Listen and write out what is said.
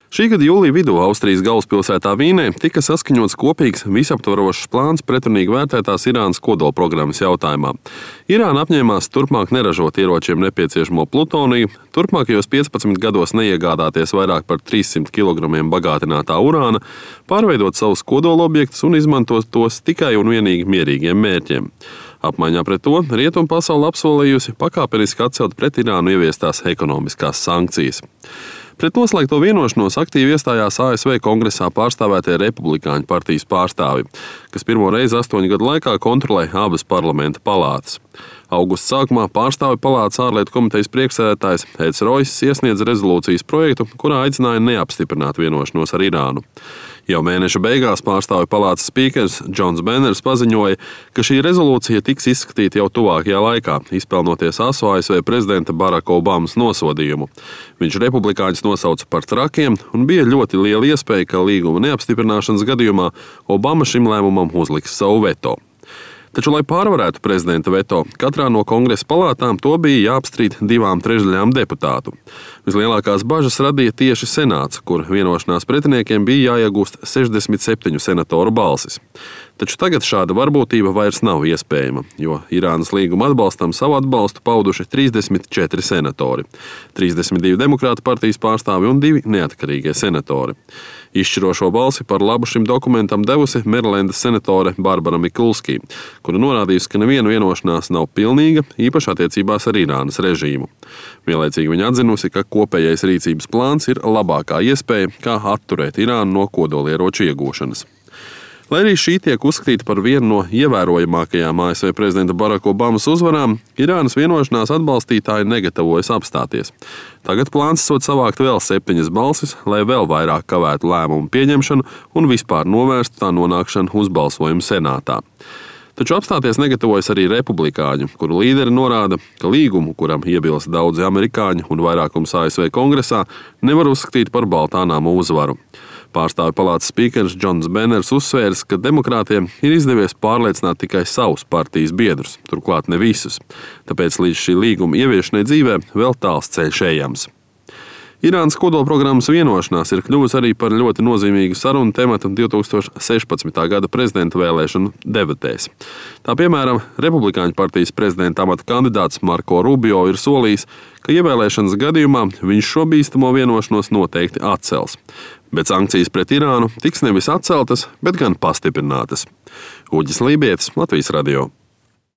Šī gada jūlija vidū Austrijas galvaspilsētā Vīnē tika saskaņots kopīgs visaptvarošs plāns pretrunīgi vērtētās Irānas kodolprogrammas jautājumā. Irāna apņēmās turpmāk neražot ieročiem nepieciešamo plutoniju, turpmākajos 15 gados neiegādāties vairāk par 300 kg bagātinātā urāna, pārveidot savus kodolobjektus un izmantot tos tikai un vienīgi mierīgiem mērķiem. Apmaiņā pret to rietumu pasaule apsolījusi pakāpeniski atcelt pret Irānu ieviestās ekonomiskās sankcijas. Pret noslēgto vienošanos aktīvi iestājās ASV kongresā pārstāvētie republikāņu partijas pārstāvi, kas pirmo reizi 8 gadu laikā kontrolē abas parlamenta palātas. Augusta sākumā pārstāvju palātas ārlietu komitejas priekšsēdētājs Eds Roiss iesniedza rezolūcijas projektu, kurā aicināja neapstiprināt vienošanos ar Irānu. Jau mēneša beigās pārstāvju palātas spīkers Džons Benners paziņoja, ka šī rezolūcija tiks izskatīta jau tuvākajā laikā, izpelnoties asu ASV prezidenta Baraka Obamas nosodījumu. Viņš republikāņus nosauca par trakiem un bija ļoti liela iespēja, ka līguma neapstiprināšanas gadījumā Obama šim lēmumam uzliks savu veto. Taču, lai pārvarētu prezidenta veto, katrā no kongresa palātām to bija jāapstrīd 2/3 deputātu. Vislielākās bažas radīja tieši senāts, kur vienošanās pretiniekiem bija jāiegūst 67 senatoru balsis. Taču tagad šāda varbūtība vairs nav iespējama, jo Irānas līguma atbalstam savu atbalstu pauduši 34 senatori, 32 demokrātu partijas pārstāvi un 2 neatkarīgie senatori. Izšķirošo balsi par labu šim dokumentam devusi Merilendas senatore Barbara Mikulski, kura norādījusi, ka neviena vienošanās nav pilnīga, īpaši attiecībās ar Irānas režīmu. Vienlaicīgi viņa atzinusi, ka kopējais rīcības plāns ir labākā iespēja, kā atturēt Irānu no kodolieroču iegūšanas. Lai arī šī tiek uzskatīta par vienu no ievērojamākajām ASV prezidenta Baraka Obamas uzvarām, Irānas vienošanās atbalstītāji negatavojas apstāties. Tagad plāns sot savākt vēl 7 balsis, lai vēl vairāk kavētu lēmumu pieņemšanu un vispār novērstu tā nonākšanu uz balsojumu senātā. Taču apstāties negatavojas arī republikāņu, kuru līderi norāda, ka līgumu, kuram iebilst daudzi amerikāņi un vairākums ASV kongresā, nevar uzskatīt par baltā nama uzvaru. Pārstāvju palātas spīkers Džons Benners uzsvērs, ka demokrātiem ir izdevies pārliecināt tikai savus partijas biedrus, turklāt ne visus, tāpēc līdz šī līguma ieviešanai dzīvē vēl tāls ceļš ejams. Irānas kodolprogrammas vienošanās ir kļuvusi arī par ļoti nozīmīgu sarunu tematu 2016. gada prezidenta vēlēšanu debatēs. Tā piemēram, republikāņu partijas prezidenta amata kandidāts Marko Rubio ir solījis, ka ievēlēšanas gadījumā viņš šo bīstamo vienošanos noteikti atcels. Bet sankcijas pret Irānu tiks nevis atceltas, bet gan pastiprinātas. Uģis Lībietis, Latvijas radio.